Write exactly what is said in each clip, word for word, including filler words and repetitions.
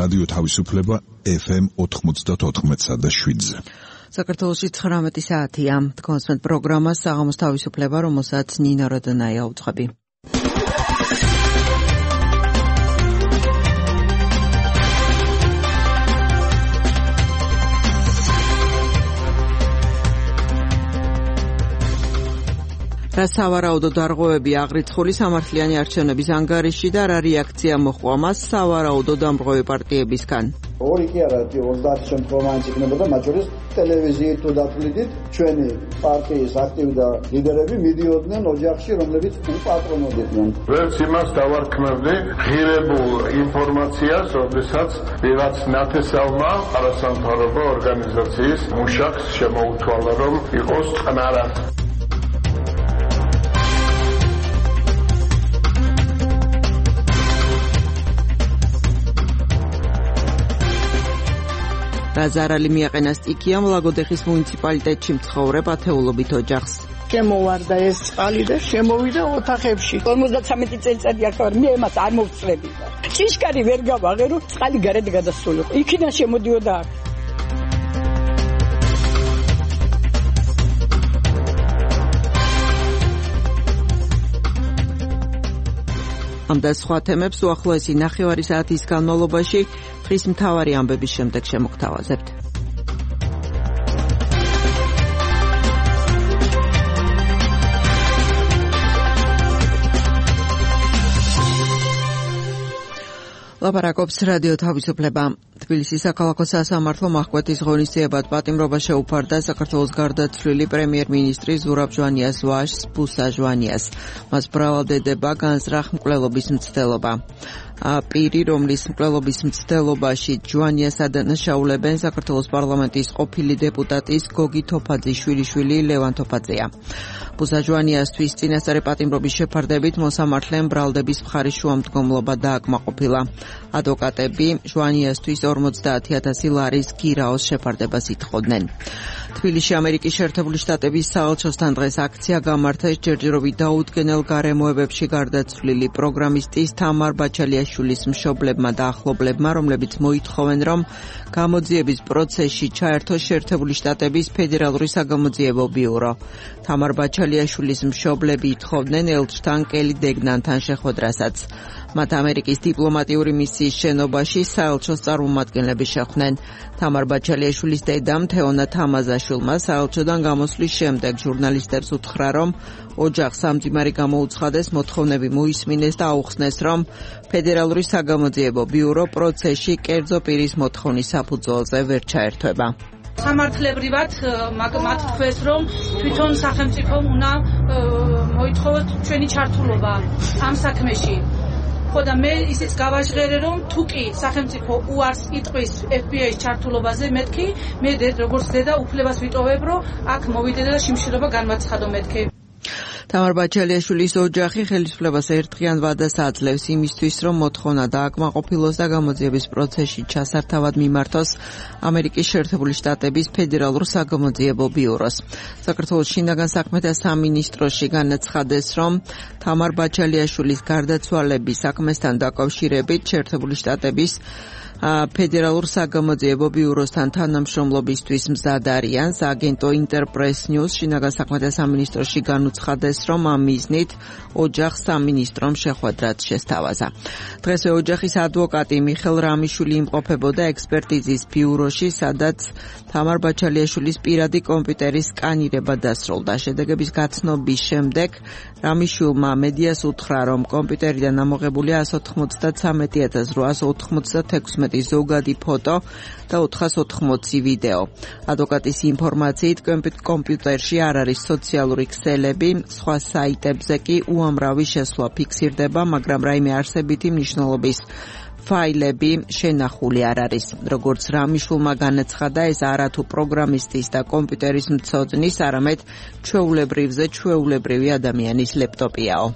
რადიო თავისუფლება ეფ ემ ოთხმოცდაოთხ და შვიდზე. საქართველოში ცხრამეტი საათია. თქვენს პროგრამას საღამოს თავისუფლება, რომელსაც ნინო როდონაია უძღვები. რა სავარაუდო დარღვევები აღრიცხული სამართლიანი არჩევნების ანგარიში და რა რეაქცია მოჰყვა მას სავარაუდო დამრღვევი პარტიებისგან. ორი კი არა, ოცდაათი შემთხვევაში იქნებოდა, მათ შორის ტელევიზიით თუ დათვლით ჩვენი პარტიის აქტივი ლიდერები მიდიოდნენ ოჯახში, რომლებიც უპატრონობდნენ. ვერც იმას დავარქმევდი ღირებულ ინფორმაციას, როდესაც ვიღაც ნათესავმა არასამთავრობო ორგანიზაციის მუშაკს შემოუთვალა, რომ იყოს წყნარად. რა ზარალი მიაყენა სტიქიამ ლაგოდეხის მუნიციპალიტეტში მცხოვრებ ათეულობით ოჯახს. შემოვარდა ეს წყალი და შემოვიდა ოთახებში. ორმოცდათრამეტი წელიწადი აქ ვარ, მე მას არ მოვწრები. ჭიშკარი ვერ გავაღერო, წყალი გარეთ გადასულიყო. იქიდან შემოდიოდა აქ. ამ და სხვა თემებს უახლოესი ნახევარი საათის განმავლობაში დღის მთავარი ამბების შემდეგ შემოგთავაზებთ. ლაპარაკობს რადიო თავისუფლება. თბილისის საქალაქო სასამართლომ აღკვეთის ღონისძიებად პატიმრობა შეუფარდა საქართველოს გარდაცვლილი პრემიერ-მინისტრი ზურაბ ჟვანიას ვაჟს ბუსა ჟვანიას. მას ბრალდებდება განზრახ მკვლელობის მცდელობა. პირი, რომლის მკვლელობის მცდელობაში ჟვანიას ადანაშაულებენ საქართველოს პარლამენტის ყოფილი დეპუტატის გოგი თოფაძის შვილიშვილი ლევან თოფაძეა. ბუსა ჟვანიასთვის წინასწარი პატიმრობის შეფარდებით მოსამართლემ ბრალდების მხარის შუამდგომლობა დააკმაყოფილა. ადვოკატები ჟვანიასთვის ორმოცდაათი ათასი ლარის გირაოს შეფარდებას ითხოვდნენ. თბილისში ამერიკის შეერთებული შტატების საელჩოსთან დღეს აქცია გამართეს ჯერჯერობით დაუდგენელ გარემოებებში გარდაცვლილი პროგრამისტის თამარ ბაჩალიაშვილის მშობლებმა და ახლობლებმა, რომლებიც მოითხოვენ, რომ გამოძიების პროცესში ჩაერთოს შეერთებული შტატების ფედერალური საგამოძიებო ბიურო. თამარ ბაჩალიაშვილის მშობლები ითხოვდნენ ელჩთან კელი დეგნანთან შეხვედრასაც. მათ ამერიკის დიპლომატიური მისიის შენობაში საელჩოს წარმომადგენლები შეხვდნენ. თამარ ბაჩალიაშვილის დედამ თეონა თამაზაშვილმა საელჩოდან გამოსვლის შემდეგ ჟურნალისტებს უთხრა, რომ ოჯახს სამძიმარი გამოუცხადეს, მოთხოვნები მოისმინეს და აუხსნეს, რომ ფედერალური საგამოძიებო ბიურო პროცესში კერძო პირის მოთხოვნის საფუძველზე ვერ ჩაერთვება. სამართლებრივად მათ თქვეს, რომ თვითონ სახელმწიფომ უნდა მოითხოვოს ჩვენი ჩართულობა ამ საქმეში. ხო და მე ისიც გავაჟღერე, რომ თუ კი სახელმწიფო უარს იტყვის ეფ ბი აის ჩართულობაზე, მეთქი მე როგორც დედა უფლებას ვიტოვებ, რომ აქ მოვიდე და შიმშილობა განვაცხადო მეთქი. თამარ ბაჩალიაშვილის ოჯახი ხელისუფლებას ერთდღიან ვადას აძლევს იმისთვის, რომ მოთხოვნა დააკმაყოფილოს და გამოძიების პროცესში ჩასართავად მიმართოს ამერიკის შეერთებული შტატების ფედერალურ საგამოძიებო ბიუროს. საქართველოს შინაგან საქმეთა სამინისტროში განაცხადეს, რომ თამარ ბაჩალიაშვილის გარდაცვალების საქმესთან დაკავშირებით შეერთებული შტატების ფედერალურ საგამოძიებო ბიუროსთან თანამშრომლობისთვის მზად არიან. სააგენტო ინტერპრეს ნიუს შინაგან საქმეთა სამინისტროში განუცხადეს, რომ ამ მიზნით ოჯახს სამინისტრომ შეხვედრაც შესთავაზა. დღესვე ოჯახის ადვოკატი მიხელ რამიშვილი იმყოფებოდა ექსპერტიზის ბიუროში, სადაც თამარ ბაჩალიაშვილის პირადი კომპიუტერის სკანირება დასრულდა. შედეგების გაცნობის შემდეგ რამიშვილმა მედიას უთხრა, რომ კომპიუტერიდან ამოღებულია ასი ოცდათრამეტი ათას რვაასი ოცდაექვსმეტი ზოგადი ფოტო და ოთხას ოთხმოცი ვიდეო. ადვოკატის ინფორმაციით კომპიუტერში არ არის სოციალური ქსელები, სხვა საიტებზე კი უამრავი შესვლა ფიქსირდება, მაგრამ რაიმე არსებითი მნიშვნელობის ფაილები შენახული არ არის. როგორც რამიშვილმა განაცხადა, ეს არათუ პროგრამისტის და კომპიუტერის მცოდნის, არამედ ჩვეულებრივზე ჩვეულებრივი ადამიანის ლეპტოპიაო.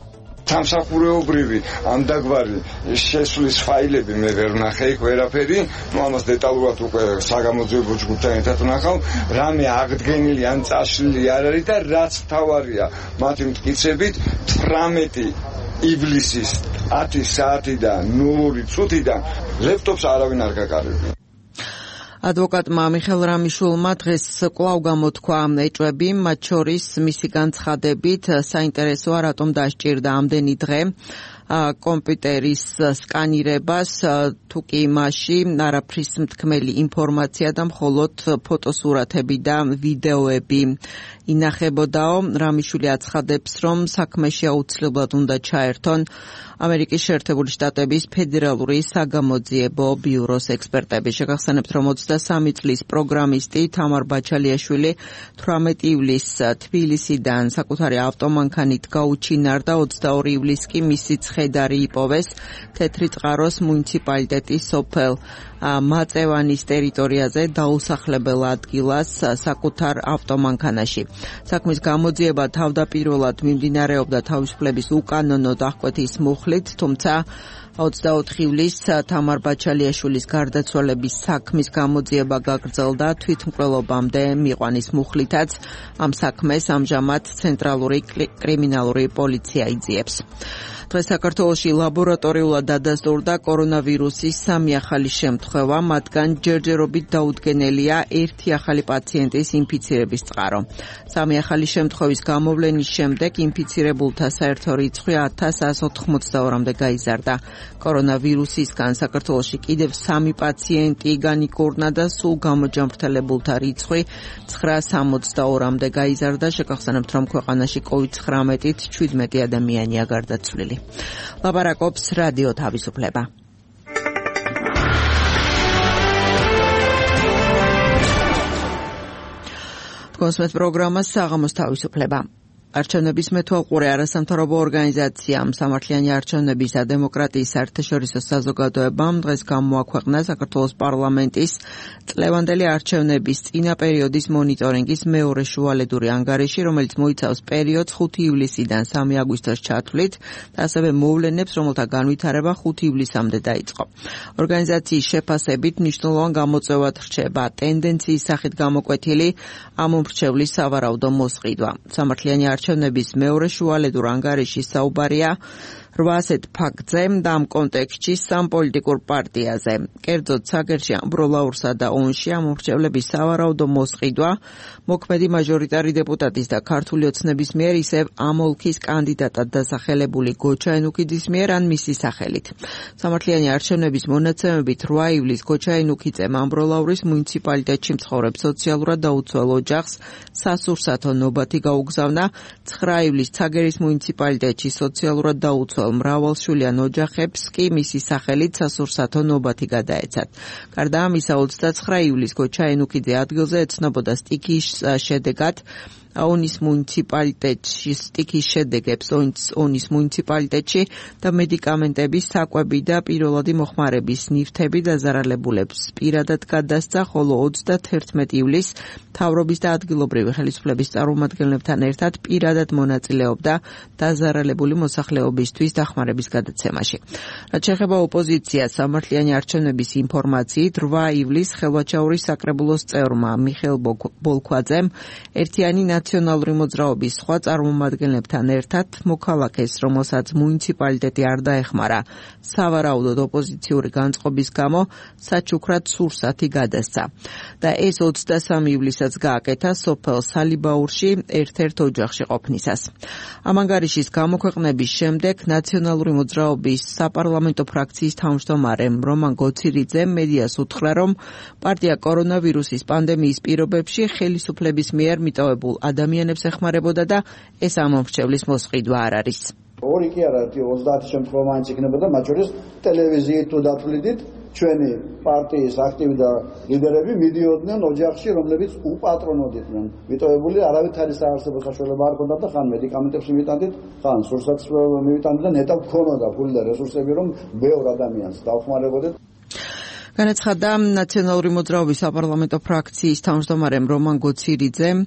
სამსახურეობრივი ამ დაგვარი შესვლის ფაილები მე ვერ ვნახე იქ ვერაფერი, ну ამას დეტალურად უკვე საგამოძიებო ჯგუფთან ერთად ვნახავ, რამე აღდგენილი ან წაშლილი არ არის და რაც თავარია მათი მტკიცებით თვრამეტი ივლისის ათი საათიდან ნული წუთიდან ლეპტოპს არავინ არ გაკარებია. ადვოკატმა მიხელ რამიშულმა დღეს კვლავ გამოთქვა ეჭვები, მათ შორის მისი განცხადებით საინტერესოა რატომ დასჭირდა ამდენი დღე კომპიუტერის სკანირებას, თუ კი მასში არაფრის მთქმელი ინფორმაცია და მხოლოდ ფოტოსურათები და ვიდეოები ინახებოდაო. რამიშვილი აცხადებს, რომ საქმეში აუცილებლად უნდა ჩაერთონ ამერიკის შეერთებული შტატების ფედერალური საგამოძიებო ბიუროს ექსპერტები. შეგახსენებთ, რომ ოცდასამი წლის პროგრამისტი თამარ ბაჩალიაშვილი თვრამეტი ივლისს თბილისიდან საკუთარი ავტომანქანით გაუჩინარდა, ოცდაორი ივლისს კი მისი ცხედარი იპოვეს თეთრი წყაროს მუნიციპალიტეტის სოფელ მაწევანის ტერიტორიაზე დაუსახლებელ ადგილას საკუთარ ავტომანქანაში. საქმის გამოძიება თავდაპირველად მიმდინარეობდა თავისუფლების უკანონო დახკვეთის მუხლით, თუმცა ოცდაოთხი ივლისს თამარ ბაჩალიაშვილის გარდაცვალების საქმის გამოძიება გაგრძელდა თვითმკვლელობამდე მიყვანის მუხლითაც. ამ საქმეს ამჟამად ცენტრალური კრიმინალური პოლიცია იძიებს. დღეს საქართველოში ლაბორატორიულად დადასტურდა კორონავირუსის სამი ახალი შემთხვევა, მათგან ჯერჯერობით დაუდგენელია ერთი ახალი პაციენტის ინფიცირების წყარო. სამი ახალი შემთხვევის გამოვლენის შემდეგ ინფიცირებულთა საერთო რიცხვი ათას ათას ოთხმოცდაორამდე გაიზარდა. კორონავირუსისგან საქართველოში კიდევ სამი პაციენტი განიკურნა და სულ გამოჯამრთელებულთა რიცხვი ცხრას სამოცდაორამდე გაიზარდა. შეგახსენებთ, რომ ქვეყანაში კოვიდ ცხრამეტით შვიდმეტი ადამიანია გარდაცვლილი. ლაპარაკობს რადიო თავისუფლება. კონსმეთ პროგრამა საღამოს თავისუფლება. არჩევნების მეთვალყურე არასამთავრობო ორგანიზაციამ სამართლიანი არჩევნების და დემოკრატიის საერთაშორისო საზოგადოებამ დღეს გამოაქვეყნა საქართველოს პარლამენტის წლევანდელი არჩევნების წინა პერიოდის მონიტორინგის მეორე შუალედური ანგარიში, რომელიც მოიცავს პერიოდს ხუთი ივლისიდან სამი აგვისტოს ჩათვლით და ასევე მოვლენებს, რომელთა განვითარება ხუთი ივლისამდე დაიწყო. ორგანიზაციის შეფასებით მნიშვნელოვან გამოწვევად რჩება ტენდენციის სახით გამოკვეთილი ამ უმრჩევლის სავარაუდო მოსყიდვა. სამართლიანი არჩევნების მეორე შუალედურ ანგარიში საუბარია რვა ასეთ ფაქტზე და ამ კონტექსტში სამ პოლიტიკურ პარტიაზე. კერძოდ, საგერში ამბროლაურსა და ონში ამ უმრჩევლების სავარაუდო მოსყიდვა მოქმედი მაჟორიტარი დეპუტატის და ქართული ოცნების მიერ, ისევ ამ ოლქის კანდიდატად დასახელებული გოჩა ენუქიძის მიერ ან მისი სახელით. სამართლიანი არჩევნების მონაცემებით რვა ივლისს გოჩა ენუქიძემ ამბროლაურის მუნიციპალიტეტში მცხოვრებ სოციალურად დაუცველ ოჯახს სასურსათო ნობათი გაუგზავნა. ცხრა ივლისს ცაგერის მუნიციპალიტეტში სოციალურად დაუცველ მრავალშვილიან ოჯახებს კი მისი სახელით სასურსათო ნობათი გადაეცათ. გარდა ამისა, ოცდაცხრა ივლისს გოჩა ენუქიძე ადგილზე ეცნობოდა სტიქიის შედეგად ონის მუნიციპალიტეტში სტიქის შედეგებს ონის მუნიციპალიტეტში და მედიკამენტების საკვები და პირველადი მოხმარების ნივთები დაზარალებულებს პირადად გადასცა, ხოლო ოცდათერთმეტი ივლისს მთავრობის და ადგილობრივი ხელისუფლების წარმომადგენლებთან ერთად პირადად მონაწილეობდა დაზარალებული მოსახლეობისთვის დახმარების გადაცემაში. რაც შეეხება ოპოზიციას, სამართლიანი არჩევნების ინფორმაციით რვა ივლისს ხელვაჩაურის საკრებულოს წევრმა მიხეილ ბოლქვაძემ ერთიანი ნაციონალური მოძრაობის სხვა წარმომადგენლებთან ერთად მოქალაქეს, რომელსაც მუნიციპალიტეტი არ დაეხმარა სავარაუდოდ ოპოზიციური განწყობის გამო, საჩუქრად სურსათი გადასცა და ეს ოცდასამი ივლისსაც გააკეთა სოფელ სალიბაურში ერთ-ერთ ოჯახში ყოფნისას. ამ ანგარიშის გამოქვეყნების შემდეგ ნაციონალური მოძრაობის საპარლამენტო ფრაქციის თავმჯდომარემ რომან გოცირიძემ მედიას უთხრა, რომ პარტია კორონავირუსის პანდემიის პირობებში ხელისუფლების მიერ მიტოვებულ ადამიანებს ეხმარებოდა და ეს ამ მომრჩევლის მოსყიდვა არ არის. ორი კი არა, ოცდაათი შემთხვევა მაინც იქნებოდა, მათ შორის ტელევიზიით თუ დათვლიდით ჩვენი პარტიის აქტივი და ლიდერები მიდიოდნენ ოჯახში, რომლებიც უპატრონოდ იყვნენ. მიტოვებული არავითარი საარსებო საშუალება არ ჰქონდათ და ხან მედიკამენტებს მივიტანდით, ხან სურსათს მივიტანდით და ნეტავ ჰქონოდა ფული და რესურსები, რომ ბევრ ადამიანს დავხმარებოდეთ. განაცხადა ნაციონალური მოძრაობის საპარლამენტო ფრაქციის თავმჯდომარემ რომან გოცირიძემ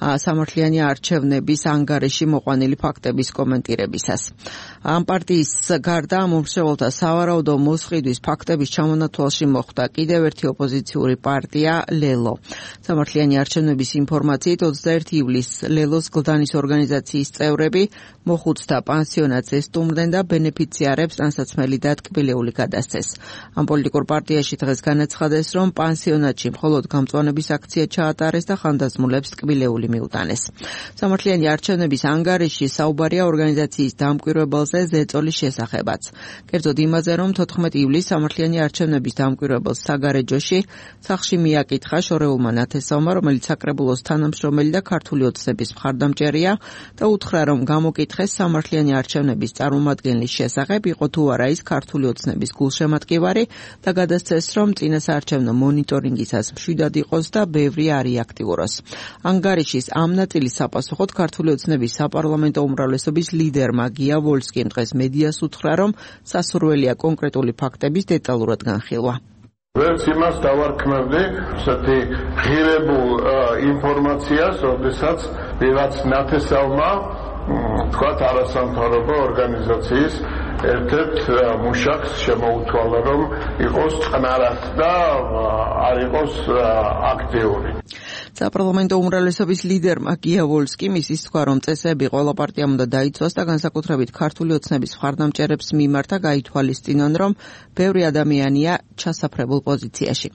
სამართლიანი არჩევნების ანგარიში მოყვანილი ფაქტების კომენტირებისას. ამ პარტიის გარდა მომხრეველთა სავარაუდო მოსყიდვის ფაქტების ჩამონათვალში მოხვდა კიდევ ერთი ოპოზიციური პარტია ლელო. სამართლიანი არჩევნების ინფორმაციით ოცდაერთი ივლისს ლელოს გლდანის ორგანიზაციის წევრები მოხუცთა პანსიონატს ესტუმრდნენ და ბენეფიციარებს ტანსაცმელი და ტკბილეული გადასცეს. ამ პოლიტიკურ პარტიაში დღეს განაცხადეს, რომ პანსიონატში მხოლოდ გამწვანების აქცია ჩაატარეს და ხანდაზმულებს ტკბილეული მიუტანეს. სამართლიანი არჩევნების ანგარიში საუბარია ორგანიზაციის დამკვირვებელზე ზეწოლის შესახებაც. კერძოდ იმაზე, რომ თოთხმეტი ივლისს სამართლიანი არჩევნების დამკვირვებელს საგარეჯოში სახლში მიაკითხა შორეულმა ნათესავმა, რომელიც საკრებულოს თანამშრომელი და ქართული ოცნების მხარდამჭერია და უთხრა, რომ გამოკითხეს სამართლიანი არჩევნების წარმომადგენლის შესახებ, იყო თუ არა ის ქართული ოცნების გულშემატკივარი და გადასცეს, რომ წინასაარჩევნო მონიტორინგისას მშვიდად იყოს და ბევრი არ იაქტიუროს. ანგარიშის ამ ნაწილის საპასუხოდ ქართული ოცნების საპარლამენტო უმრავლესობის ლიდერმა გია ვოლსკიმ დღეს მედიას უთხრა, რომ სასურველია კონკრეტული ფაქტების დეტალურად განხილვა. ვერც იმას დავარქმევდი, ესეთი ღირებულ ინფორმაციას, როდესაც ვიღაც ნათესავმა თქვათ არასამთავრობო ორგანიზაციის ერთ-ერთ მუშაკს შემოუთვალა, რომ იყოს წყნარად და არ იყოს აქტიური. საპარლამენტო უმრავლესობის ლიდერმა გია ვოლსკიმ ისიც თქვა, რომ წესები ყველა პარტიამ უნდა დაიცვას და განსაკუთრებით ქართული ოცნების მხარდამჭერებს მიმართა გაითვალისწინონ, რომ ბევრი ადამიანია ჩასაფრებულ პოზიციაში.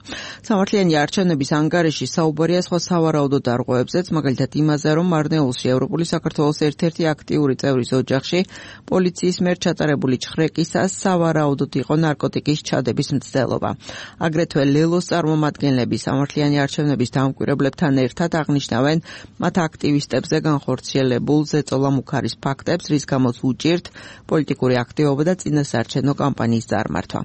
სამართლიანი არჩევნების ანგარიში საუბარია სხვა სავარაუდო დარღვევებზეც, მაგალითად იმაზე, რომ მარნეულში ევროპული საქართველოს ერთ-ერთი აქტიური წევრის ოჯახში პოლიციის მიერ ჩატარებული ჩხრეკისას სავარაუდოდ იყო ნარკოტიკის ჩადების მცდელობა. აგრეთვე ლელოს წარმომადგენლები სამართლიანი არჩევნების დამკვირვებლებთან ერთად აღნიშნავენ მათ აქტივისტებზე განხორციელებულ ზეწოლა მუქარის ფაქტებს, რის გამოც უჭირთ პოლიტიკური აქტივობა და წინასაარჩევნო კამპანიის წარმართვა.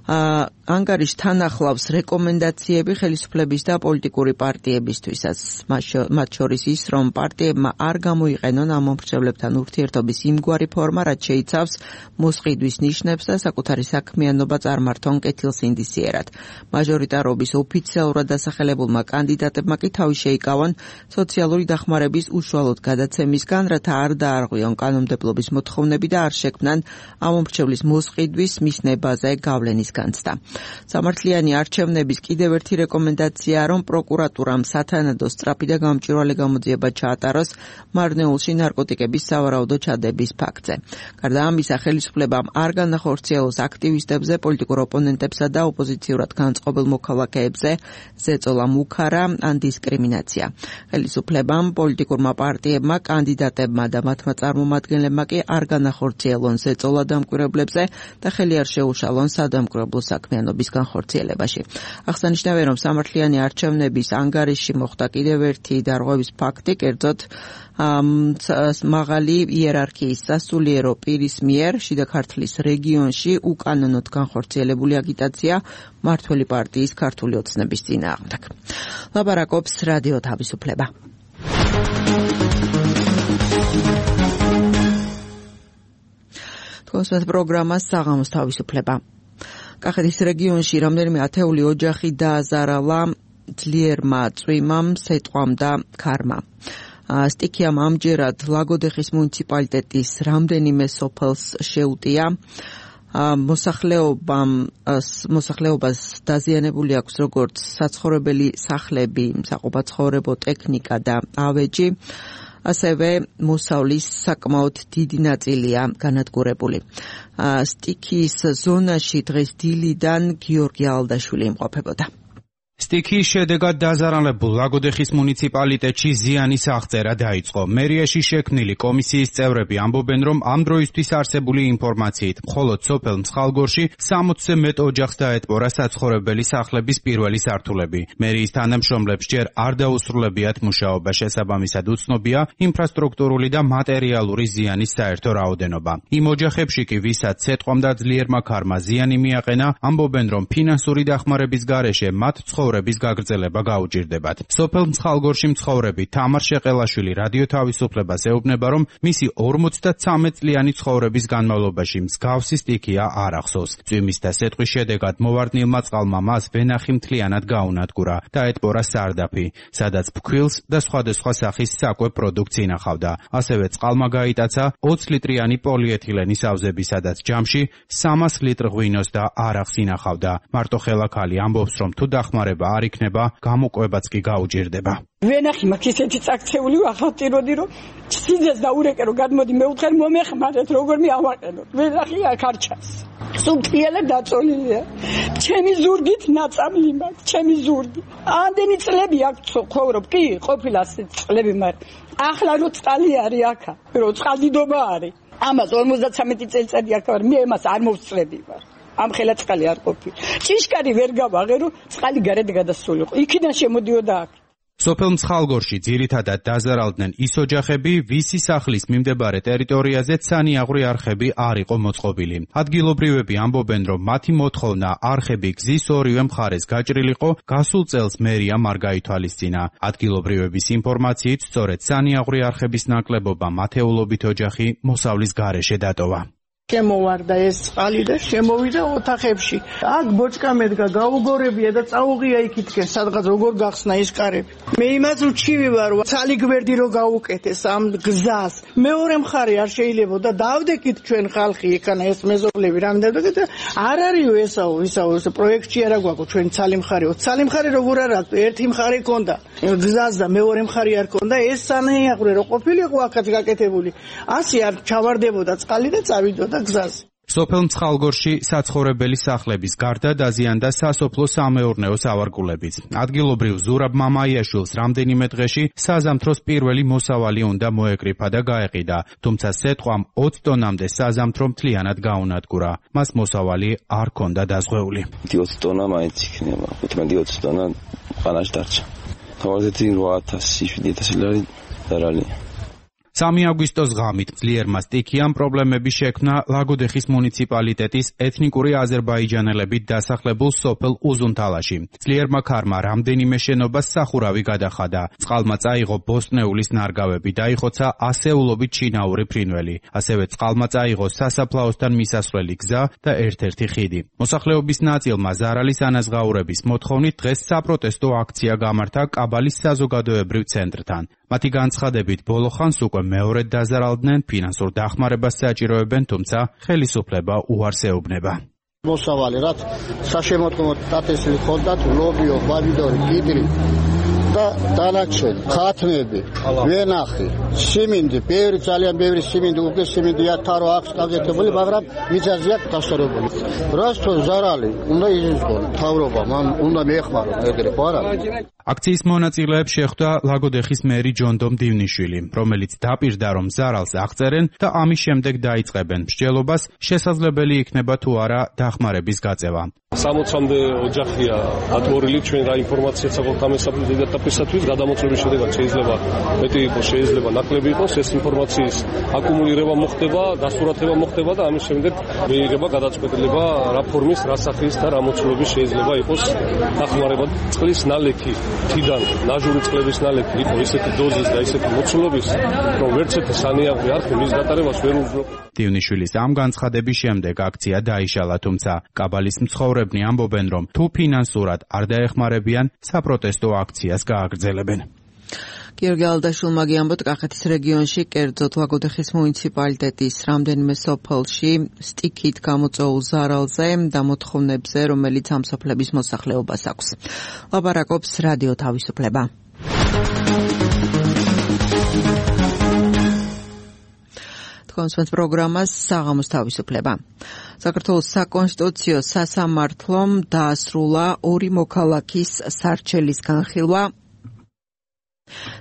ანგარიშთან ახლავს რეკომენდაციები ხელისუფლების და პოლიტიკური პარტიებისთვისაც, მათ შორის ის, რომ პარტიებმა არ გამოიყენონ ამ მომხრეებლებთან ურთიერთობის იმგვარი ფორმა, რაც შეიცავს მოსყიდვის ნიშნებს და საკუთარი საქმიანობა წარმართონ კეთილსინდისიერად. მაჟორიტარობის ოფიციალურად დასახელებულმა კანდიდატებმა კი თავი შეიკავონ სოციალური დახმარების უშუალოდ გადაცემისგან, რათა არ დაარღვიონ კანონმდებლობის მოთხოვნები და არ შექმნან ამ მომხრეების მოსყიდვის მისნებაზე გავლენის განცდა. სამართლიანი არჩევნების კიდევ ერთი რეკომენდაცია, რომ პროკურატურამ სათანადო სწრაფი და გამჭვირვალე გამოძიება ჩაატაროს მარნეულში ნარკოტიკების სავარაუდო ჩადების ფაქტზე. გარდა ამისა, ხელისუფლებამ არ განახორციელოს აქტივისტებზე, პოლიტიკურ ოპონენტებსა და ოპოზიციურად განწყობილ მოქალაქეებზე ზეწოლა მუქარა ან დისკრიმინაცია. ხელისუფლებამ, პოლიტიკურმა პარტიებმა, კანდიდატებმა და მათმა წარმომადგენლებმა კი არ განახორციელონ ზეწოლა დამკვირვებლებზე და ხელი არ შეუშალონ სადამკვირვებლო საქმიანობის განხორციელებაში. აღსანიშნავია, რომ სამართლიანი არჩევნების ანგარიში მოხდა კიდევ ერთი დარღვევის ფაქტი, კერძოდ მაღალი იერარქიის სასულიერო პირის მიერ შიდა ქართლის რეგიონში უკანონოდ განხორციელებული აგიტაცია მმართველი პარტიის ქართული ოცნების წინააღმდეგ. ლაპარაკობს რადიო თავისუფლება. თქვენს პროგრამას საღამოს თავისუფლება. კახეთის რეგიონში რამდენიმე ათეული ოჯახი დააზარალა ძლიერმა წვიმამ, სეტყვამ და ქარმა. სტიქიამ ამჯერად ლაგოდეხის მუნიციპალიტეტის რამდენიმე სოფელს შეუტია. მოსახლეობამ მოსახლეობას დაზიანებული აქვს როგორც საცხოვრებელი სახლები, საყოფაცხოვრებო ტექნიკა და ავეჯი. ასევე მოსავლის საკმაოდ დიდი ნაწილია განადგურებული. სტიქიის ზონაში დღეს დილიდან გიორგი ალდაშვილი იმყოფებოდა. სტიქიის შედეგად დაზარალებულ ლაგოდეხის მუნიციპალიტეტში ზიანის აღწერა დაიწყო. მერიაში შექმნილი კომისიის წევრები ამბობენ, რომ ამ დროისთვის არსებული ინფორმაციით მხოლოდ სოფელ მსხალგორში სამოცზე მეტ ოჯახს დაეტბორა საცხოვრებელი სახლების პირველი სართულები. მერიის თანამშრომლებს ჯერ არ დაუსრულებიათ მუშაობა, შესაბამისად უცნობია ინფრასტრუქტურული და მატერიალური ზიანის საერთო რაოდენობა. იმ ოჯახებში კი, ვისაც სეტყვამ და ძლიერმა ქარმა ზიანი მიაყენა, ამბობენ, რომ ფინანსური დახმარების გარეშე მათ ცხოვრების გაგრძელება გაუჭირდებათ. სოფელ მცხალგორში მცხოვრები თამარ შეყელაშვილი რადიო თავისუფლებას ეუბნება, რომ მისი ორმოცდათრამეტ წლიანი ცხოვრების განმავლობაში მსგავსი სტიქია არ ახსოვს. წვიმის და სეტყვის შედეგად მოვარდნილმა წყალმა მას ვენახი მთლიანად გაუნადგურა და ეტბორა სარდაფი, სადაც ფქვილს და სხვადასხვა სახის საკვებ პროდუქტს ინახავდა. ასევე წყალმა გაიტაცა ოცი ლიტრიანი პოლიეთილენის ავზები, სადაც ჯამში სამას ლიტრ ღვინოს და არახს ინახავდა. მარტო ხელაქალი ამბობს, რომ თუ დახმარება არ იქნება, გამოკვებაც კი გაუჭირდება. ვენახი მაქვს ისეთი წაქცეული ახალტიროდი, რომ სიძეს და ურეკე რომ გადმოდი მეუთხარ მომეხმარეთ, როგორ მე ავაყენოთ. ვენახი აქ არ ჩანს. სულთიალა დაწოლილია. ჩემი ზურგით ნაწამლი მაქვს, ჩემი ზურგი. ამდენი წლები აქ ცხოვრობ, კი, ყოფილა წლები, მაგრამ ახლა რო წყალი არის აქა, რო წყალდიდობა არის. ამას ორმოცდათრამეტი წელიწადი აქ ვარ, მე ამას არ მოვწლები ვარ. ამ ხელა წყალი არ ყოფილა. ჭიშკარი ვერ გავაღე, რომ წყალი გარეთ გადასულიყო. იქიდან შემოდიოდა აქ. სოფელ მცხალგორში ძირითადად დაზარალდნენ ის ოჯახები, ვისი სახლის მიმდებარე ტერიტორიაზე ცანიაღვრი არხები არ იყო მოწყობილი. ადგილობრივები ამბობენ, რომ მათი მოთხოვნა არხები გზის ორივე მხარეს გაჭრილიყო, გასულ წელს მერია არ გაითვალისწინა. ადგილობრივების ინფორმაციით, სწორედ ცანიაღვრი არხების ნაკლებობა მათეულობით ოჯახი მოსავლის გარეშე დატოვა. შემოვარდა ეს წყალი და შემოვიდა ოთახებში. აქ ბოჭკა მედგა, გაუგორებია და წაუღია იქითკენ, სადღაც როგორ გახსნა ის კარები. მე იმას უჩივი ვარ, ცალი გვერდი რო გაუკეთეს ამ გზას. მეორე მხარე არ შეიძლება და დავდეკით ჩვენ ხალხი იქანა ეს მეზობლები რამდენად და არ არისო ესაო, ისაო, ეს პროექტში არა გვაქვს ჩვენ ცალი მხარეო. ცალი მხარე როგორ არ აქვს? ერთი მხარე ქონდა გზას და მეორე მხარე არ ქონდა. ეს სანიაღვრე რო ყოფილიყო აქაც გაკეთებული. ასე არ ჩავარდებოდა წყალი და წავიდოდა გზაზე. სოფელ მცხალგორში საცხოვრებელი სახლების გარდა დაზიანდა სასოფლო სამეურნეო სავარგულებიც. ადგილობრივ ზურაბ მამაიაშვილს რამდენიმე დღეში საზამთროს პირველი მოსავალი უნდა მოეკრიფა და გაეყიდა, თუმცა სეტყვამ ოცი ტონამდე საზამთრო მთლიანად გაუნადგურა. მას მოსავალი არ ჰქონდა დაზღვეული. ოცი ტონა მაინც იქნება, ხუთმეტი ოცი ტონა ყანაში დარჩა. თავაზეთი რვა ათასი შვიდი ათასი ლარი დარალი. სამი აგვისტოს ღამით ძლიერმა სტიქიამ პრობლემები შექმნა ლაგოდეხის მუნიციპალიტეტის ეთნიკური აზერბაიჯანელებით დასახლებულ სოფელ უზუნთალაში. ძლიერმა ქარმა რამდენიმე შენობას სახურავი გადახადა. წყალმა წაიღო ბოსტნეულის ნარგავები, დაიხოცა ასეულობით ჩინაური ფრინველი. ასევე წყალმა წაიღო სასაფლაოსთან მისასვლელი გზა და ერთ-ერთი ხიდი. მოსახლეობის ნაწილმა ზარალის ანაზღაურების მოთხოვნით დღეს საპროტესტო აქცია გამართა კაბალის საზოგადოებრივ ცენტრთან. მათი განცხადებით ბოლო ხანს უკვე მეორედ დაზარალდნენ, ფინანსურ დახმარებას საჭიროებენ, თუმცა ხელისუფლება უარს ეუბნება. მოსავალი რაც საშემოდგომო დაწესილი ჰქონდათ ლობიო, ბაბიდორი, გიდრი და დანარჩენი ხათმები, ვენახი, სიმინდი, ბევრი ძალიან ბევრი სიმინდი, უკვე სიმინდი ათარო აქვს გაკეთებული, მაგრამ მიწაზეა დასწორებული. რასთო ზარალი უნდა იზუსტონ თავრობა, მან უნდა მიეხმაროს ეგრე ხო არა? აქციის მონაწილეებს შეხვდა ლაგოდეხის მერი ჯონდომ დივნიშვილი, რომელიც დაპირდა, რომ ზარალს აღწერენ და ამის შემდეგ დაიწყებენ მსჯელობას, შესაძლებელი იქნება თუ არა დახმარების გაწევა. სამოცამდე ოჯახია ატმორილი, ჩვენ რა ინფორმაციაც აქვთ ამ ეტაპისათვის, გადამოწვევის შედეგად შეიძლება მეტი იყოს, შეიძლება ნაკლები იყოს, ეს ინფორმაციის აკუმულირება მოხდება, დასურათება მოხდება და ამის შემდეგ მიიღება გადაწყვეტილება რა ფორმის, რა სახის და რა მოცულობის შეიძლება იყოს დახმარება. წყლის ნალექი თიდან ნაჟური წყლების ნალექი იყო ისეთი დოზის და ისეთი მოცულობის, რომ ვერც ერთი სანიაღვრი არხი მის გატარებას ვერ უზრუნველყოფს. დივნიშვილის ამ განცხადების შემდეგ აქცია დაიშალა, თუმცა კაბალის მცხოვრებნი ამბობენ, რომ თუ ფინანსურად არ დაეხმარებიან, საპროტესტო აქციას გააგრძელებენ. გიორგი ალდაშვილმა გიამბოთ, კახეთის რეგიონში, კერძოდ ლაგოდეხის მუნიციპალიტეტის რამდენიმე სოფელში სტიქით გამოწვეულ ზარალზე და მოთხოვნებზე, რომელიც ამ სოფლების მოსახლეობას აქვს. ლაპარაკობს რადიო თავისუფლება. კონსვენს პროგრამას საღამოს თავისუფლება. საქართველოს საკონსტიტუციო სასამართლომ დაასრულა ორი მოქალაქის სარჩელის განხილვა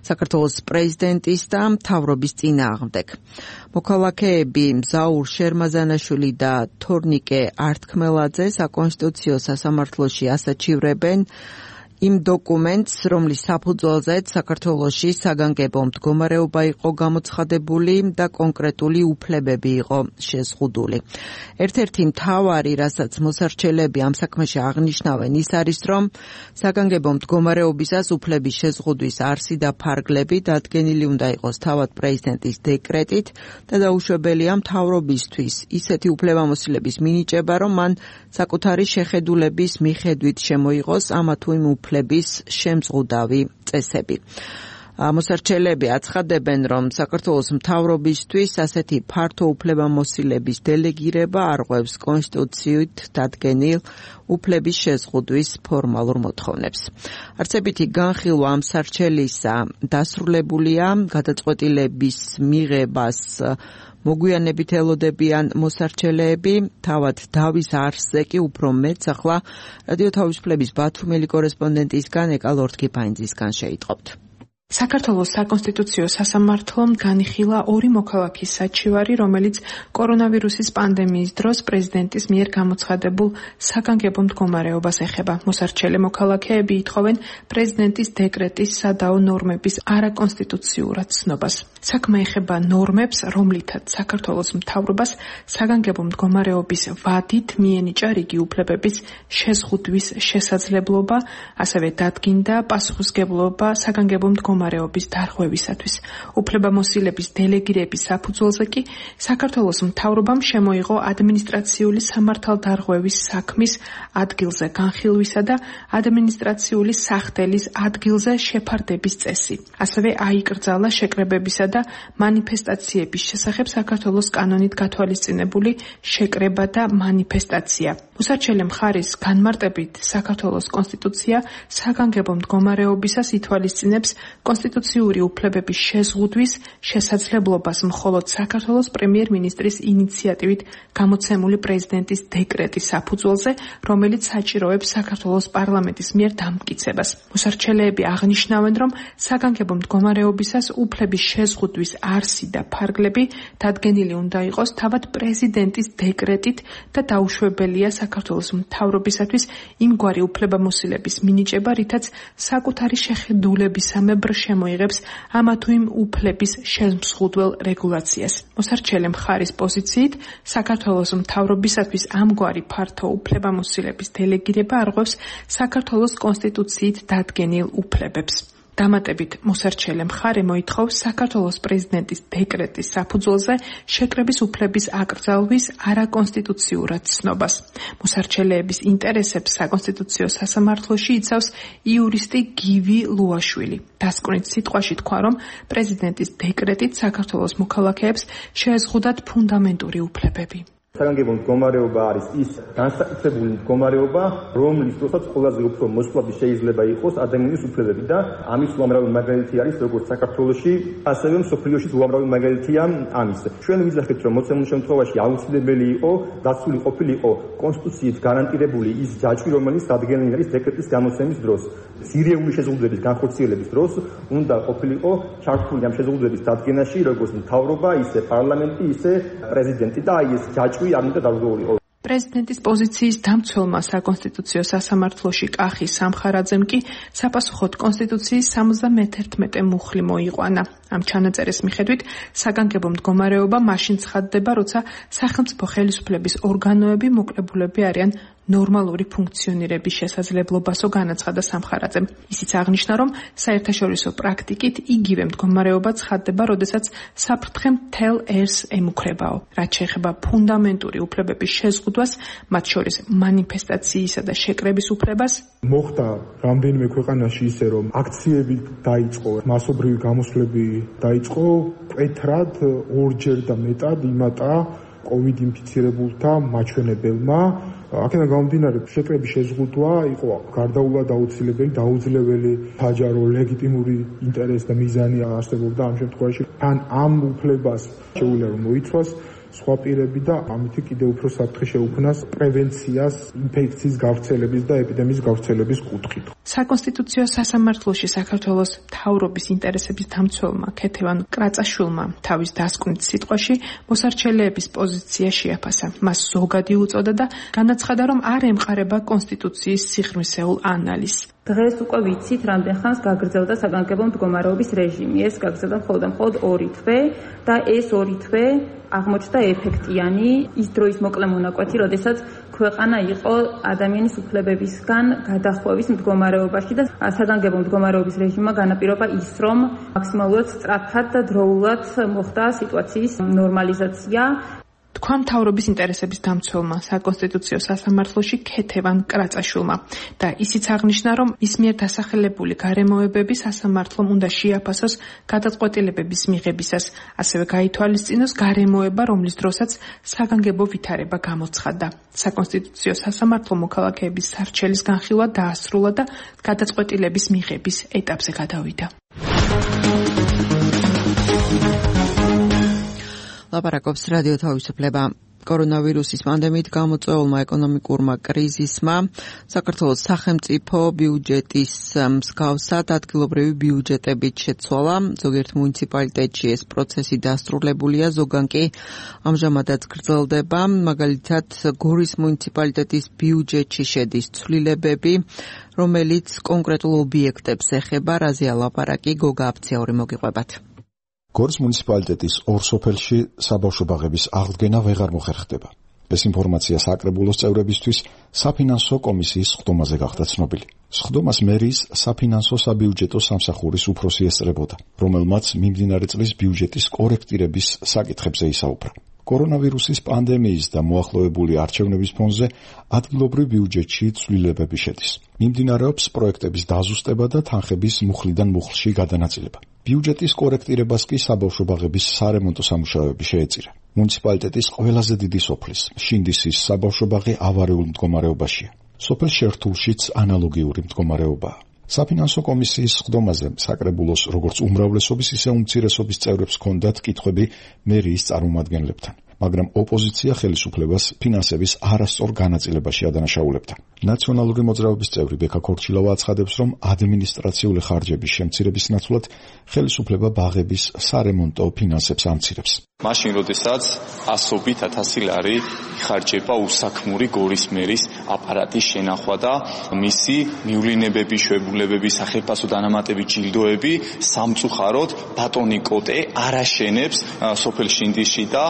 საქართველოს პრეზიდენტის და მთავრობის წინააღმდეგ. მოქალაქეები მზაურ შერმაზანაშვილი და თორნიკე ართქმელაძე საკონსტიტუციო სასამართლოში ასაჩივრებენ იმ დოკუმენტს, რომლის საფუძველზეც საქართველოში საგანგებო მდგომარეობა იყო გამოცხადებული და კონკრეტული უფლებები იყო შეზღუდული. ერთ-ერთი მთავარი, რასაც მოსარჩელები ამ საქმეში აღნიშნავენ, ის არის, რომ საგანგებო მდგომარეობისას უფლების შეზღუდვის არსი და ფარგლები დადგენილი უნდა იყოს თავად პრეზიდენტის დეკრეტით და დაუშვებელია მთავრობისთვის ისეთი უფლებამოსილების მინიჭება, რომ მან საკუთარი შეხედულების მიხედვით შემოიღოს ამა თუ იმ უფლების შემზღუდავი წესები. მოსარჩელები აცხადებენ, რომ საქართველოს მთავრობისთვის ასეთი ფართო უფლებამოსილების დელეგირება არღვევს კონსტიტუციით დადგენილ უფლების შეზღუდვის ფორმალურ მოთხოვნებს. არცებითი განხილვა ამ სარჩელისა დასრულებულია გადაწყვეტილების მიღებას მოგვიანებით ელოდებიან მოსარჩელეები, თავად დავის არსზე კი უფრო მეც ახლა რადიო თავისუფლების ბათუმელი კორესპონდენტისგან ეკა ლორდ-კიფაინძისგან შეიტყობთ. საქართველოს საკონსტიტუციო სასამართლომ განიხილა ორი მოქალაქის საჩივარი, რომელიც კორონავირუსის პანდემიის დროს პრეზიდენტის მიერ გამოცხადებულ საგანგებო მდგომარეობას ეხება. მოსარჩელე მოქალაქეები ითხოვენ პრეზიდენტის დეკრეტის სადაო ნორმების არაკონსტიტუციურად ცნობას. საქმე ეხება ნორმებს, რომლითაც საქართველოს მთავრობას საგანგებო მდგომარეობის ვადით მიენიჭა რიგი უფლებების შეზღუდვის შესაძლებლობა, ასევე დადგინდა პასუხისმგებლობა საგანგებო მდგომარეობის დარღვევისათვის. უფლებამოსილების დელეგირების საფუძველზე კი საქართველოს მთავრობამ შემოიღო ადმინისტრაციული სამართალდარღვევის საქმის ადგილზე განხილვისა და ადმინისტრაციული სახდელის ადგილზე შეფარდების წესი. ასევე აიკრძალა შეკრებებისა და მანიფესტაციების შესახებ საქართველოს კანონით გათვალისწინებული შეკრება და მანიფესტაცია. მოსარჩელე მხარის განმარტებით საქართველოს კონსტიტუცია საგანგებო მდგომარეობისას ითვალისწინებს კონსტიტუციური უფლებების შეზღუდვის შესაძლებლობას მხოლოდ საქართველოს პრემიერ-მინისტრის ინიციატივით გამოცემული პრეზიდენტის დეკრეტის საფუძველზე, რომელიც საჭიროებს საქართველოს პარლამენტის მიერ დამტკიცებას. მოსარჩელეები აღნიშნავენ, რომ საგანგებო მდგომარეობისას უფლების შეზღუდვის არსი და ფარგლები დადგენილი უნდა იყოს თავად პრეზიდენტის დეკრეტით და დაუშვებელია საქართველოს მთავრობისათვის იმგვარი უფლებამოსილების მინიჭება, რითაც საკუთარი შეხედულებისამებრ შემოიღებს ამა თუ იმ უფლების შემზღუდველ რეგულაციას. მოსარჩელე მხარის პოზიციით საქართველოს მთავრობისათვის ამგვარი ფართო უფლებამოსილების დელეგირება არღვევს საქართველოს კონსტიტუციით დადგენილ უფლებებს. დამატებით მოსარჩელე მხარე მოითხოვს საქართველოს პრეზიდენტის დეკრეტის საფუძველზე შეკრების უფლების აკრძალვის არაკონსტიტუციურად ცნობას. მოსარჩელეების ინტერესებს საკონსტიტუციო სასამართლოში იცავს იურისტი გივი ლუაშვილი. დასკვნით სიტყვაში თქვა, რომ პრეზიდენტის დეკრეტით საქართველოს მოქალაქეებს შეეზღუდათ ფუნდამენტური უფლებები. საგანგებო მდგომარეობა არის ის განსაკუთრებული მდგომარეობა, რომლის დროსაც ყველაზე უფრო მოსვლადი შეიძლება იყოს ადამიანის უფლებები და ამის უამრავი მაგალითი არის როგორც საქართველოში, ასევე მსოფლიოში უამრავი მაგალითია ამის. ჩვენ ვიძახით, რომ მოცემულ შემთხვევაში აუცილებელი იყო დაცული ყოფილიყო კონსტიტუციით გარანტირებული ის ჯაჭვი, რომელიც დადგენილი არის დეკრეტის გამოცემის დროს. სირიული შეზღუდვების განხორციელების დროს უნდა ყოფილიყო ჩართული ამ შეზღუდვების დადგენაში როგორც მთავრობა, ისე პარლამენტი, ისე პრეზიდენტი და აი ეს ჯაჭვი არ უნდა დაგვეულიყო. პრეზიდენტის პოზიციის დამცველმა საკონსტიტუციო სასამართლოში კახი სამხარაძემ კი საპასუხოდ კონსტიტუციის სამოცდამეთერთმეტე მუხლი მოიყვანა. ამ ჩანაწერის მიხედვით საგანგებო მდგომარეობა მაშინ ცხადდება, როცა სახელმწიფო ხელისუფლების ორგანოები მოკლებულები არიან ნორმალური ფუნქციონირების შესაძლებლობასო განაცხადა სამხარაძემ. ისიც აღნიშნა, რომ საერთაშორისო პრაქტიკით იგივე მდგომარეობა ცხადდება, როდესაც საფრთხე მთელ ერს ემუქრებაო. რაც შეეხება ფუნდამენტური უფლებების შეზღუდვას, მათ შორის მანიფესტაციისა და შეკრების უფლებას, მოხდა რამდენიმე ქვეყანაში ისე, რომ აქციები დაიწყო, მასობრივი გამოსვლები დაიწყო, მკვეთრად ორჯერ და მეტად იმატა კოვიდ ინფიცირებულთა მაჩვენებელმა. აქედან გამომდინარე, შეკრების შეზღუდვა იყო გარდაუვალ აუცილებელი, დაუძლეველი, საჯარო, ლეგიტიმური ინტერესი და მიზანი არსებობდა ამ შემთხვევაში. თან ამ უფლებას შეუძლია რომ მოიცვას სხვა პირები და ამით კიდევ უფრო საფრთხე შეუქმნას პრევენციას ინფექციის გავრცელების და ეპიდემიის გავრცელების კუთხით. საკონსტიტუციო სასამართლოში საქართველოს მთავრობის ინტერესების დამცველმა ქეთევან კრაწაშვილმა თავის დასკვნით სიტყვაში მოსარჩელეების პოზიცია შეაფასა. მას ზოგადი უწოდა და განაცხადა, რომ არ ემყარება კონსტიტუციის სიღრმისეულ ანალიზს. დღეს უკვე ვიცით, რამდენ ხანს გაგრძელდა საგანგებო მდგომარეობის რეჟიმი. ეს გაგრძელდა მხოლოდ და მხოლოდ ორი თვე და ეს ორი თვე აღმოჩნდა ეფექტიანი ის დროის მოკლე მონაკვეთი, როდესაც ქვეყანა იყო ადამიანის უფლებებისგან გადახვევის მდგომარეობაში და საგანგებო მდგომარეობის რეჟიმმა განაპირობა ის, რომ მაქსიმალურად სწრაფად და დროულად მოხდა სიტუაციის ნორმალიზაცია. თქვა მთავრობის ინტერესების დამცველმა საკონსტიტუციო სასამართლოში ქეთევან კრაწაშვილმა და ისიც აღნიშნა, რომ მის მიერ დასახელებული გარემოებები სასამართლომ უნდა შეაფასოს გადაწყვეტილებების მიღებისას, ასევე გაითვალისწინოს გარემოება, რომლის დროსაც საგანგებო ვითარება გამოცხადდა. საკონსტიტუციო სასამართლო მოქალაქეების სარჩელის განხილვა დაასრულა და გადაწყვეტილების მიღების ეტაპზე გადავიდა. ლაპარაკობს რადიო თავისუფლება. კორონავირუსის პანდემიით გამოწვეულმა ეკონომიკურმა კრიზისმა საქართველოს სახელმწიფო ბიუჯეტის მსგავსად ადგილობრივი ბიუჯეტებით შეცვალა. ზოგიერთ მუნიციპალიტეტში ეს პროცესი დასრულებულია, ზოგან კი ამჟამადაც გრძელდება. მაგალითად, გორის მუნიციპალიტეტის ბიუჯეტში შედის ცვლილებები, რომელიც კონკრეტულ ობიექტებს ეხება. რაზეა ლაპარაკი? გოგა აფციური მოგიყვებათ. გორის მუნიციპალიტეტის ორ სოფელში საბავშვო ბაღების აღდგენა ვეღარ მოხერხდება. ეს ინფორმაცია საკრებულოს წევრებისთვის საფინანსო კომისიის სხდომაზე გახდა ცნობილი. სხდომას მერის საფინანსო საბიუჯეტო სამსახურის უფროსი ესწრებოდა, რომელმაც მიმდინარე წლის ბიუჯეტის კორექტირების საკითხებზე ისაუბრა. კორონავირუსის პანდემიის და მოახლოებული არჩევნების ფონზე ადგილობრივ ბიუჯეტში ცვლილებები შედის. მიმდინარეობს პროექტების დაზუსტება და თანხების მუხლიდან მუხლში გადანაწილება. ბიუჯეტის კორექტირებას კი საბავშვო ბაღების სარემონტო სამუშაოები შეეწირა. მუნიციპალიტეტის ყველაზე დიდი სოფლის, შინდისის საბავშვო ბაღი ავარიულ მდგომარეობაშია. სოფელ შერთულშიც ანალოგიური მდგომარეობაა. საფინანსო კომისიის სხდომაზე საკრებულოს როგორც უმრავლესობის, ისე უმცირესობის წევრებს ჰქონდათ კითხვები მერიის წარმომადგენლებთან, მაგრამ ოპოზიცია ხელისუფლებას ფინანსების არასწორ განაწილებაში ადანაშაულებდა. ნაციონალური მოძრაობის წევრი ბექა ქორჩილავა აცხადებს, რომ ადმინისტრაციული ხარჯების შემცირების ნაცვლად ხელისუფლება ბაღების სარემონტო ფინანსებს ამცირებს. მაშინ, როდესაც ასობით ათასი ლარი იხარჯება უსაქმური გორის მერის აპარატის შენახვა და მისი მივლინებები, შვებულებები, სახეფასო დანამატები, ჯილდოები სამწუხაროდ ბატონი კოტე არ აშენებს სოფელ შინდისში და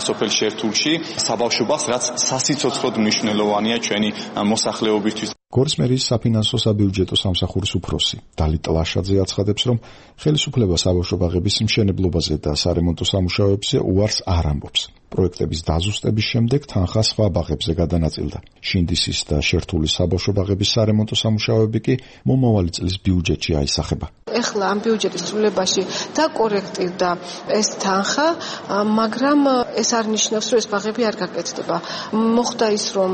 სოფელ შერთულში საბავშვო ბაღს, რაც სასიცოცხლოდ მნიშვნელოვანია ჩვენი მოსახლეობისთვის. გორის მერის საფინანსო საბიუჯეტო სამსახურის უფროსი დალიტ ლაშაძე აცხადებს, რომ ხელისუფლება საბავშვო ბაღების მშენებლობაზე და სარემონტო სამუშაოებზე უარს არ ამბობს. პროექტების დაზუსტების შემდეგ თანხა სხვა ბაღებზე გადანაწილდა. შინდისის და შერთულის საბავშვო ბაღების სარემონტო სამუშაოები კი მომავალი წლის ბიუჯეტში აისახება. ეხლა ამ ბიუჯეტის ცვლილებაში დაკორექტირდა ეს თანხა, მაგრამ ეს არ ნიშნავს, რომ ეს ბაღები არ გაკეთდება. მოხდა ის, რომ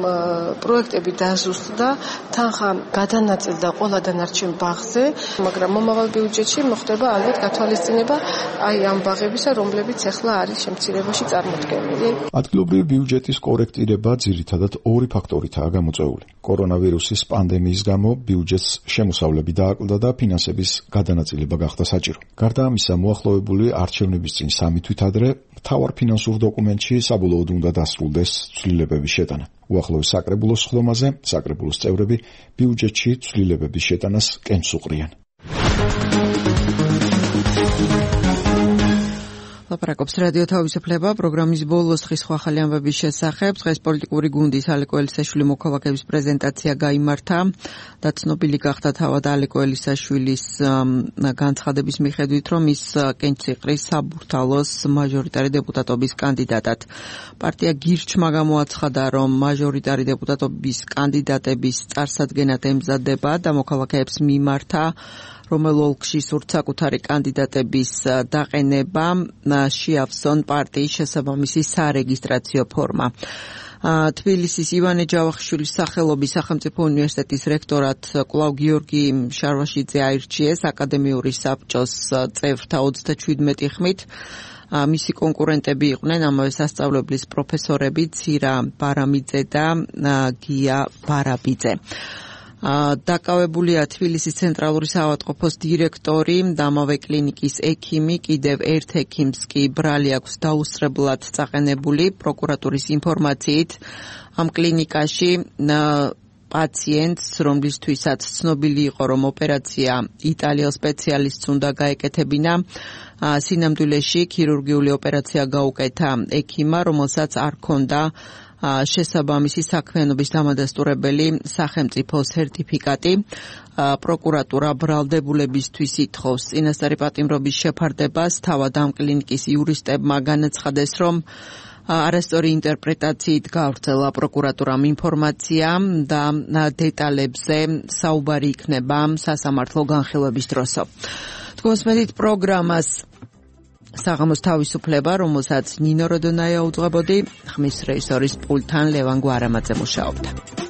პროექტები დაზუსტდა, თანხა გადანაწილდა ყველა დანარჩენ ბაღზე, მაგრამ მომავალ ბიუჯეტში მოხდება ალბათ გათვალისწინება აი ამ ბაღებისა, რომლებიც ეხლა არის შემცირებაში წარმოდგენილი. ადგილობრივი ბიუჯეტის კორექტირება ძირითადად ორი ფაქტორითაა გამოწვეული. კორონავირუსის პანდემიის გამო ბიუჯეტს შემოსავლები დააკლდა და ფინანსების გადანაწილება გახდა საჭირო. გარდა ამისა, მოახლოებული არჩევნების წინ სამი თვით ადრე მთავარ ფინანსურ დოკუმენტში საბოლოოდ უნდა დასრულდეს ცვლილებების შეტანა. უახლოეს საკრებულოს სხდომაზე საკრებულოს წევრები ბიუჯეტში ცვლილებების შეტანას კენს უყრიან. ლაპარაკობს რადიო თავისუფლება. პროგრამის ბოლოს ხის სხვა ახალი ამბების შესახებ. დღეს პოლიტიკური გუნდის ალეკო ელისაშვილი მოქალაქეების პრეზენტაცია გაიმართა და ცნობილი გახდა თავად ალეკო ელისაშვილის განცხადების მიხედვით, რომ ის კენჭსიყრის საბურთალოს მაჟორიტარი დეპუტატობის კანდიდატად. პარტია გირჩმა გამოაცხადა, რომ მაჟორიტარი დეპუტატობის კანდიდატების წარსადგენად ემზადება და მოქალაქეებს მიმართა რომელ ოლქში სურთ საკუთარი კანდიდატების დაყენება, შეავსონ პარტიის შესაბამისი სარეგისტრაციო ფორმა. თბილისის ივანე ჯავახიშვილის სახელობის სახელმწიფო უნივერსიტეტის რექტორად კვლავ გიორგი შარვაშიძე აირჩიეს აკადემიური საბჭოს წევრთა ოცდაშვიდმეტი ხმით. მისი კონკურენტები იყვნენ ამავე სასწავლებლის პროფესორები ცირა ბარამიძე და გია ბარაბიძე. დაკავებულია თბილისის ცენტრალური საავადმყოფოს დირექტორი და ამავე კლინიკის ექიმი, კიდევ ერთ ექიმს კი ბრალი აქვს დაუსწრებლად წაყენებული. პროკურატურის ინფორმაციით ამ კლინიკაში პაციენტს, რომლისთვისაც ცნობილი იყო, რომ ოპერაცია იტალიელ სპეციალისტს უნდა გაეკეთებინა. სინამდვილეში ქირურგიული ოპერაცია გაუკეთა ექიმმა, რომელსაც არ ჰქონდა შესაბამისი საქმიანობის დამადასტურებელი სახელმწიფო სერტიფიკატი. პროკურატურა ბრალდებულებისთვის ითხოვს წინასწარი პატიმრობის შეფარდებას. თავად ამ კლინიკის იურისტებმა განაცხადეს, რომ არასწორი ინტერპრეტაციით გავრცელა პროკურატურამ ინფორმაცია და დეტალებზე საუბარი იქნება სასამართლო განხილვების დროსო. თქვენს პროგრამას საღამოს თავისუფლება, რომელსაც ნინო როდონაია უძღვებოდი, ხმის რეჟისორის პულტთან ლევან გვარამაძე მუშაობდა.